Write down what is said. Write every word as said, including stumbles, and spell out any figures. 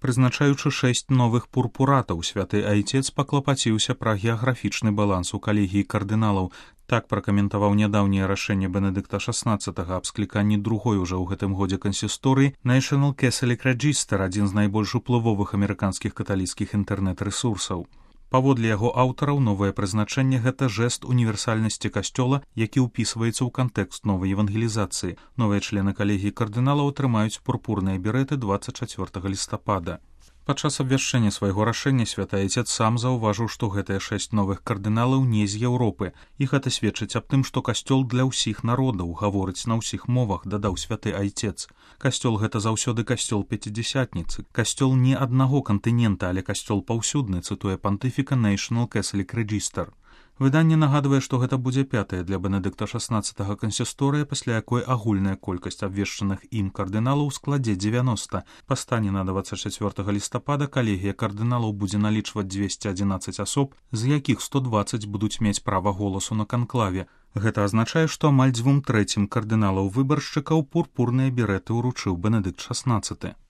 Прызначаючы шэсць новых пурпуратаў, святы айцец паклапаціўся пра геаграфічны баланс у калегіі кардыналаў. Так пракаментаваў нядаўняе рашэнне Бенедыкта шаснаццатага аб скліканні другой ужо ў гэтым годзе кансісторыі National Catholic Register, адзін з найбольш уплывовых амерыканскіх каталіцкіх інтэрнэт-рэсурсаў. Паводле яго аўтараў, новае прызначэнне – гэта жэст універсальнасці касцёла, які ўпісваецца ў кантэкст новай евангелізацыі. Новыя члены калегіі кардыналаў атрымаюць пурпурныя берэты дваццаць чацвёртага лістапада. Падчас абвяшчэння свайго рашэння святы айцец сам заўважыў, што гэтыя шэсць новых кардыналаў не з Еўропы. І гэта сведчыць аб тым, што касцёл для ўсіх народаў, гаворыць на ўсіх мовах, дадаў святы айцец. Касцёл – гэта заўсёды касцёл пяцідзясятніцы. Касцёл не аднаго кантынента, але касцёл паўсюдны, цытуе пантыфіка National Catholic Register. Выданне нагадвае, што гэта будзе пятая для Бенедыкта шаснаццатага кансісторыя, пасля якой агульная колькасць абвешчаных ім кардыналаў складзе дзевяноста. Па стане на дваццаць чацвёртага лістапада калегія кардыналаў будзе налічваць дзвесце адзінаццаць асоб, з якіх сто дваццаць будуць мець права голасу на канклаве. Гэта азначае, што амаль дзвюм трэцім кардыналаў-выбаршчыкаў пурпурныя берэты ўручыў Бенедыкт шаснаццаты.